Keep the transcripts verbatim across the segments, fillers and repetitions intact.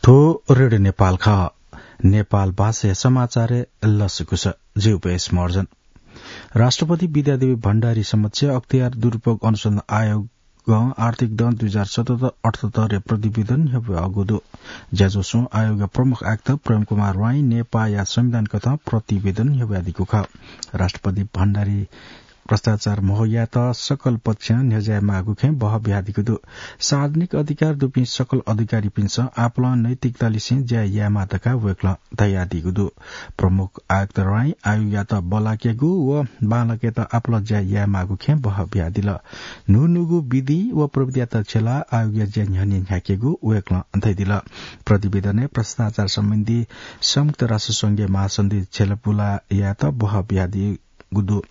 थ्व रेडियो नेपाल खः। नेपाल भाषाया समाचारय् लसकुस। जि उपेश महर्जन। राष्ट्रपति विद्यादेवी भण्डारी समक्ष अख्तियार दुरुपयोग अनुसन्धान आयोगं आर्थिक दँ दुई हजार सतहत्तर अठहत्तरया प्रतिवेदन न्ह्यब्वयागु दु। ज्याझ्वलय् आयोगया प्रमुख आयुक्त प्रेम कुमार राई नेपाःया संविधान कथं प्रतिवेदन न्ह्यब्वयादीगु खः। राष्ट्रपति भण्डारी भ्रष्टाचार म्हो यायेत सकल पक्षं न्ह्यज्याये माःगु खँय् बहः बियादीगु दु। सार्वजनिक अधिकार दुपिं सकल अधिकारीपिन्सं आपालं नैतिकतालिसें ज्या यायेमाः धकाः वय्कलं धयादीगु दु। प्रमुख आयुक्त राई आयोगयात बल्लाकेगु व बांलाकेत आपालं ज्या यायेमाःगु खँय् बहः बियादिल। न्हून्हूगु विधि व प्रविधियात छ्यलाः आयोगया ज्या न्ह्यःने न्ह्याकेगु वय्कलं धयादिल। प्रतिवेदनय् भ्रष्टाचार सम्बन्धी संयुक्त राष्ट्र संघया महासन्धि छ्यलापुला यायेत बहः बियादीगु दु।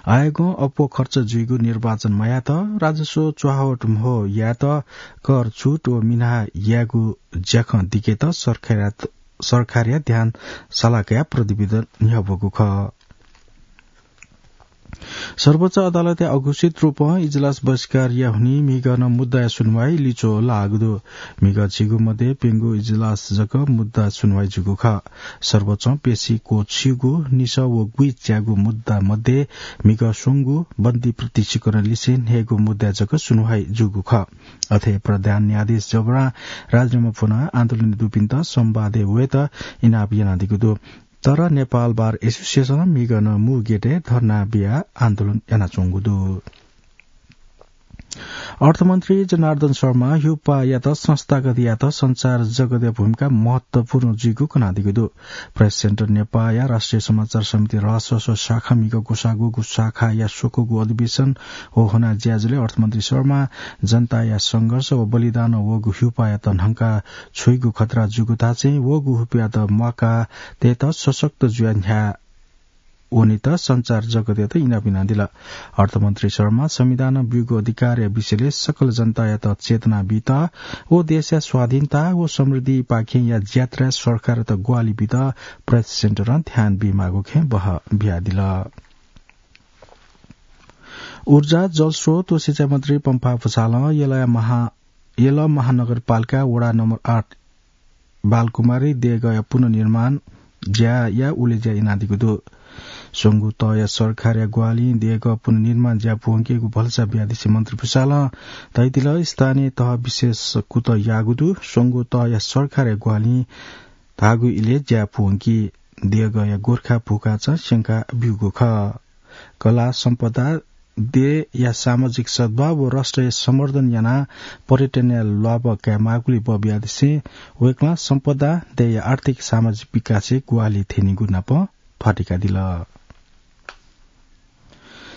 आयोगं अप्वः खर्च जुइगु निर्वाचन मयायेत, राजस्व च्वाहावट म्हो यायेत, कर छुट व मिनाः यायेगु ज्याखँ दिकेत सरकारया, सरकारया ध्यान साला कयाः प्रतिवेदन न्ह्यब्वःगु खः। सर्वोच्च अदालतया अघोषित रूपं इजलास बहिष्कार याःगुलिं म्हिगः नं मुद्दाया सुनुवाइ लिच्वः लाःगु दु। म्हिगः झिगू मध्ये प्यंगू इजलास जक मुद्दा सुनुवाइ जूगु खः। सर्वोच्चं पेशी क्वःछिगू, निसः व गुइच्यागू मुद्दा मध्ये म्हिगः स्वंगू बन्दी प्रत्यक्षीकरण लिसें न्हय्गू मुद्दा जक सुनुवाइ जूगु खः। अथे प्रधान न्यायाधीश जबरां राजीनामा फ्वनाः आन्दोलन दुपिन्त संवादय् वयेत इनाप यानादीगु दु। तर नेपाल बार एसोसिएसनं म्हिगः नं मू गेटय् धर्ना बियाः आन्दोलन यानाच्वंगु दु। अर्थमन्त्री जनार्दन शर्मां ह्युपायात संस्थागत यायेत सञ्चार जगतया भूमिका महत्वपूर्ण जुइगु कनादीगु दु। प्रेस सेन्टर नेपाःया राष्ट्रिय समाचार समिति रहस्वस शाखा म्हिगः ग्वसाः ग्वःगू शाखाया स्वक्वःगु अधिवेशन व ह्वना ज्याझ्वलय् अर्थमन्त्री शर्मां जनताया संघर्ष व बलिदानं वःगु ह्युपायात न्हंका छ्वइगु खतरा जूगु धाःसां वःगु ह्युपायात म्वाका तयेत सशक्त जुयाः न्ह्याः वनेत सञ्चार जगतयात इनाप यानादिल। अर्थमन्त्री शर्मां संविधानं ब्यूगु अधिकारया विषयलय् सकल जनतायात चेतना बीत व देशया स्वाधीनता व समृद्धिपाखेंया ज्यात्राय् सरकारयात ग्वाहालि बीत प्रेस सेन्टरं ध्यान बीमाःगु खँय् बहः बियादिल। ऊर्जा, जलस्रोत व सिँचाइ मन्त्री पम्फा भुसालं यलया महा-, यल महानगरपालिका वडा नम्बर आठ बालकुमारी देय्‌गःया पुनर्निर्माण ज्याया उलेज्या यानादीगु दु। स्वंगू तहया सरकारया ग्वाहालिं देय्‌गः पुनर्निर्माण ज्या पूवंकेगु भलसा बियादिसें मन्त्री भुसालं धयादिल, स्थानीय तह विशेष कुतः याःगु दु। स्वंगू तहया सरकारया ग्वाहालिं धाःगु इलय् ज्या पूवंकी। देय्‌गःया गोर्खा भूखाचं स्यंका ब्यूगु खः। कला सम्पदा, देय्‌या सामाजिक सद्भाव व राष्ट्रया सम्वर्धन यानाः पर्यटनया ल्वाभः कायेमाःगुलिं बबियादिसें वय्‌कलं सम्पदा, देय्‌या आर्थिक सामाजिक विकासय् ग्वाहालि थ्यनीगु नाप ध्वाथुइकादिल।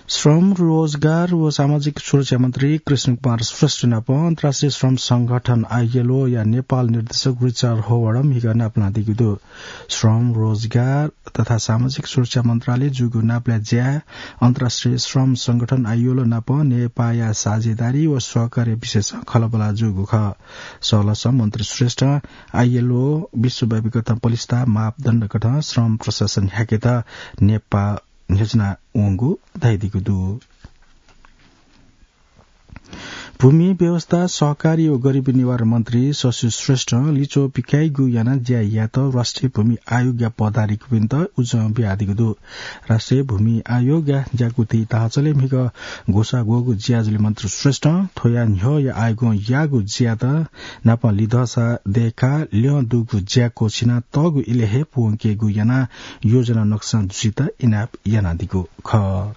श्रम, रोजगार व सामाजिक सुरक्षा मन्त्री कृष्ण कुमार श्रेष्ठ नाप अन्तर्राष्ट्रिय श्रम संगठन आइएलओया नेपाल निर्देशक रिचर्ड होवार्ड म्हिगः नापलानादीगु दु। श्रम, रोजगार तथा सामाजिक सुरक्षा मन्त्रालय जूगु नापलाये ज्याय् अन्तर्राष्ट्रिय श्रम संगठन आइएलओ नाप नेपाःया साझेदारी व सहकार्य विषयसं खँल्हाबल्हा जूगु खः। सहलहसं मन्त्री श्रेष्ठं आइएलओ विश्वव्यापी कथं पलिस्था मापदण्ड कथं श्रम प्रशासन ह्याकेत नेपाः न्ह्यचिना वंगु धयादीगु दु। भूमि व्यवस्था, सहकारी व गरिबी निवारण मन्त्री शशि श्रेष्ठं लिच्वः पिकाइगु यानाः ज्या यायेत राष्ट्रिय भूमि आयोगया पदाधिकारीपिन्त उजं बियादीगु दु। राष्ट्रिय भूमि आयोगया ज्याकुथि धाःचले म्हिगः ग्वसाः ग्वःगु ज्याझ्वलय् मन्त्री श्रेष्ठं थ्वया न्ह्यःया आयोगं याःगु ज्यात नापं लिधःसा दय्‌काः ल्यं दुगु ज्या क्वःछिना तःगु इलय् हे पूवंकेगु यानाः योजना नक्सा जुसित इनाप यानादीगु खः।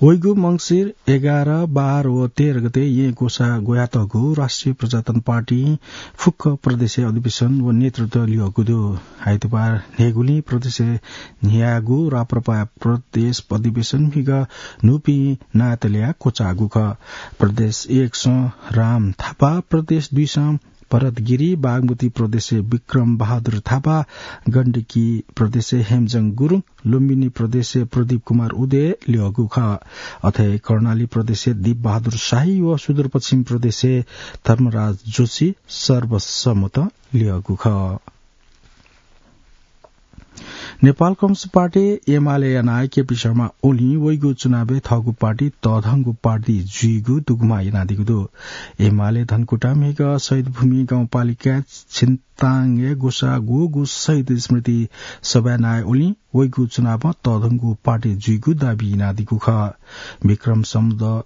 वइगु मंसिर एघार, बाह्र व तेह्र गते येँ ग्वसाः ग्वयातःगु राष्ट्रिय प्रजातन्त्र पार्टी फुक्क प्रदेशय् अधिवेशन व नेतृत्व ल्यःगु दु। आइतबार न्हय्‌गुलिं प्रदेशय् न्ह्याःगु राप्रपाया प्रदेश अधिवेशन म्हिगः न्हूपिं नायःत ल्याः क्वचाःगु खः। प्रदेश एकसं राम थापा, प्रदेश दुईसं भरत गिरी, बागमती प्रदेशय् विक्रम बहादुर थापा, गण्डकी प्रदेशय् हेमजङ गुरुङ, लुम्बिनी प्रदेशय् प्रदीप कुमार उदय ल्यःगु खः। अथे कर्णाली प्रदेशय् दीप बहादुर शाही व सुदूरपश्चिम प्रदेशय् धर्मराज जोशी सर्वसम्मतं ल्यःगु खः। नेपाल कम्युनिस्ट पार्टी एमाले या नायः केपी शर्मा ओलीं वइगु चुनावय् थःगु पार्टी तःधंगु पार्टी जुइगु दुगुमा यानादीगु दु। एमाले धनकुटा म्हिगः शहीद भूमि गाउँपालिका छिन्ताङय् ग्वसाः ग्वःगु शहीद स्मृति सभाय् नायः ओलीं वइगु चुनावं तःधंगु पार्टी जुइगु दाबी यानादीगु खः। विक्रम सम्वत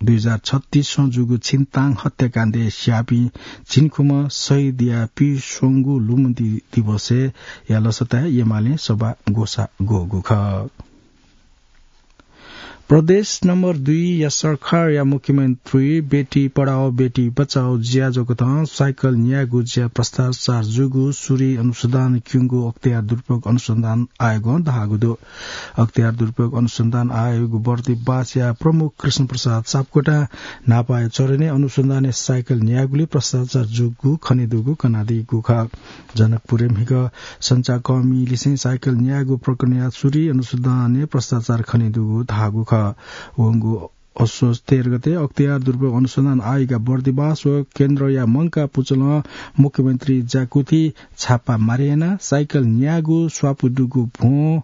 दुई हजार छत्तीसं जूगु छिन्ताङ हत्याकाण्डय् स्याःपिं झिंखुम्ह शहीदया पीस्वंगू लुमन्ति दिवसय् या लसताय् एमालें सभा ग्वसाः ग्वःगु खः। प्रदेश नम्बर दुई या सरकारया मुख्यमन्त्री बेटी पढाओ बेटी बचाओ ज्याझ्वःकथं साइकल न्यायेगु ज्या भ्रष्टाचार जूगु सूरी अनुसन्धान क्यंगु अख्तियार दुरुपयोग अनुसन्धान आयोगं धाःगु दु। अख्तियार दुरुपयोग अनुसन्धान आयोगया बर्दिबासया प्रमुख कृष्ण प्रसाद सापकोटां न्हापाया चरणय् अनुसन्धानय् साइकल न्यायेगुली भ्रष्टाचार जूगु खनेदुगु कनादीगु खः। जनकपुरय् म्हिगः सञ्चारकर्मीलिसें साइकल न्यायेगु प्रकरणया सूरी अनुसन्धानय् भ्रष्टाचार खनेदुगु धाःगु खः। वंगु असोज तेह्र गते अख्तियार दुरुपयोग अनुसन्धान आयोगया बर्दिबास व केन्द्रया मंकाः पुचलं मुख्यमन्त्री ज्याकुथि छापा मारे यानाः साइकल न्यायेगु स्वापू दुगु भ्वं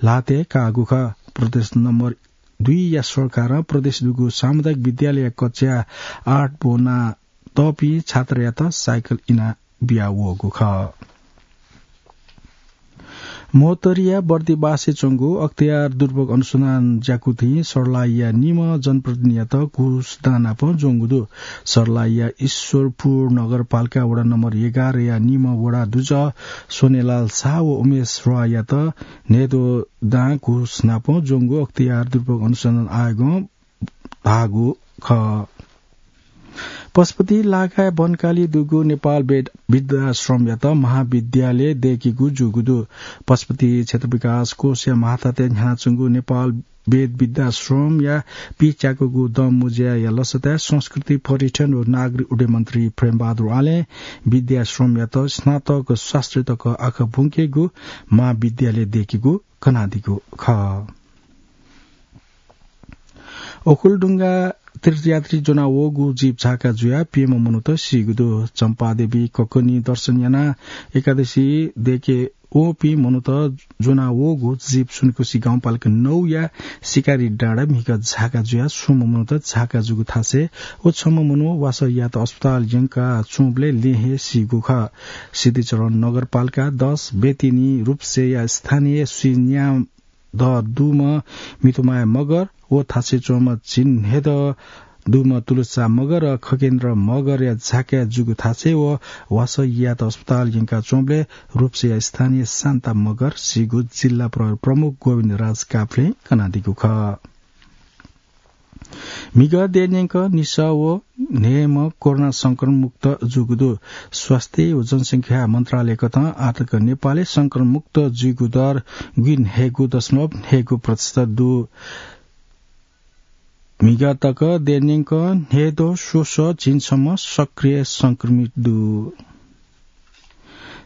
ल्हातय् काःगु खः। प्रदेश नम्बर दुई या सरकारं प्रदेश दुगु सामुदायिक विद्यालय कक्षा आठ ब्वना तःपिं छात्रयात साइकल इना बिया वःगु खः। महोत्तरीया बर्दिबासय् च्वंगु अख्तियार दुरुपयोग अनुसन्धान ज्याकुथिं सर्लाहीया निम्ह जनप्रतिनिधियात घुस दां नाप ज्वंगु दु। सर्लाहीया ईश्वरपुर नगरपालिका वडा नम्बर एघारया निम्ह वडा दुजः सोनेलाल शाह व उमेश रोहायात न्हय्द्वः दां घुस नाप ज्वंगु अख्तियार दुरुपयोग अनुसन्धान आयोगं धाःगु खः। पशुपति लागाय् बनकाली दुगु नेपाल वेद वृद्धाश्रमयात महाविद्यालय दय्केगु जूगु दु। पशुपति क्षेत्र विकास कोषया महातत्वय् न्ह्यानाच्वंगु नेपाल वेद वृद्धाश्रमया पिच्याकूगु दँ मुँज्याया लसताय् संस्कृति, पर्यटन व नागरिक उड्डयन मन्त्री प्रेमबहादुर आलें वृद्धाश्रमयात स्नातक शास्त्री तक आखः ब्वंकेगु महाविद्यालय दय्केगु कनादीगु खः। ओखलढुङ्गा तीर्थयात्री ज्वनावःगु जीप झाका जुयाः प्यम्ह मनूत सीगु दु। चम्पादेवी ककनी दर्शन यानाः एकादशी दय्के वःपिं मनूत ज्वनावःगु जीप सुनकुसी गाउँपालिका नौया सिकारी डाँडा म्हिगः झाका जुयाः स्वम्ह मनूत झाका जूगु थासय् व छम्ह मनू वासः यात अस्पताल यंका च्वंबलय् लँय् हे सीगु खः। सिद्धिचरण नगरपालिका दस बेतिनी रूपसेया स्थानीय श्री न्याम द दुम्ह मितुमाया मगर व थासय् च्वंम्ह झिंन्हय्द्वः दुम्ह तुलसा मगर र खगेन्द्र मगरया झाकाय् जूगु थासय् व वासः यात अस्पताल यंका च्वंबलय् रूपसेया स्थानीय शान्ता मगर सीगु जिल्ला प्रहरी प्रमुख गोविन्द राज काफ्लें कनादीगु खः। म्हिगः देय् न्यंक निसः व न्हय्म्ह कोरोना संक्रमण मुक्त जूगु दु। स्वास्थ्य व जनसंख्या मन्त्रालयकथं आःतक नेपालय् संक्रमण मुक्त जुइगु दर गुइन्हय्गू दशमलव न्हय्गू प्रतिशत दु। म्हिगः तक देय् न्यंक न्हय्द्वः स्वसः झिंछम्ह सक्रिय संक्रमित दु।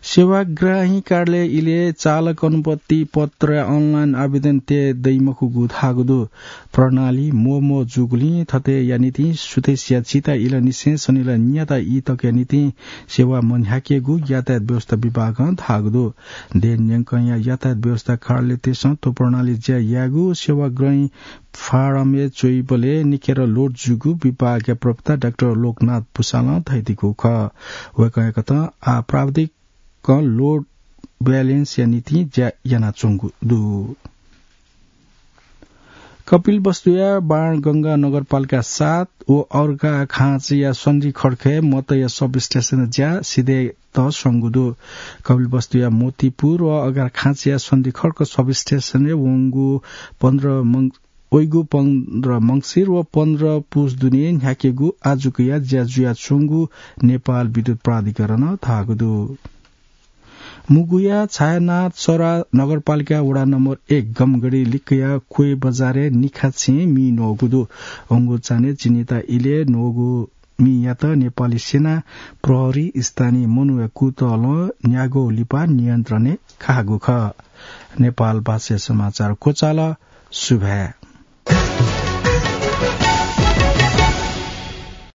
सेवाग्राही कार्यालय इलय् चालक अनुमति पत्र online आवेदन तये दइमखुगु धाःगु दु। प्रणाली म्वःम्वः जूगुलिं थथे या निंतिं सुथसिया झिता इलंनिसें सनिलः न्याता ई तकया निंतिं सेवा मन्ह्याकेगु यातायात व्यवस्था विभागं धाःगु दु। देय् न्यंकया यातायात व्यवस्था कार्यालयतय्सं थ्व प्रणाली ज्या यायेगु सेवाग्राही फारमय् च्वइबलय् निखेर load जूगु विभागया प्रवक्ता डाक्टर लोकनाथ भुसालं धयादीगु खः। वय्कःयाकथं आः प्राविधिकं load balance या निंतिं ज्या यानाच्वंगु दु। कपिलवस्तुया बाणगंगा नगरपालिका सात व अर्घाखाँचीया सन्धिखड्कय् मतया substation ज्या सिधयेत स्वंगु दु। कपिलवस्तुया मोतीपुर व अर्घाखाँचीया सन्धिखड्क substationय् वंगु पन्ध्र मं-, वइगु पन्ध्र मंसिर व पन्ध्र पुस दुने न्ह्याकेगु आजुकया ज्या जुयाच्वंगु नेपाल विद्युत प्राधिकरणं धाःगु दु। मुगुया छायानाथ सरा नगरपालिका वडा नम्बर एक गमगढी लिक्कया क्वय् बजारय् निखाछेँ मि न्वःगु दु। वंगु चान्हय् चिनिता इलय् न्वःगु मियात नेपाली सेना प्रहरी स्थानीय मनूया कुतलं न्यागू लिपा नियन्त्रणय् काःगु खः। नेपाल भाषाया समाचार क्वचाल। सुभाय्।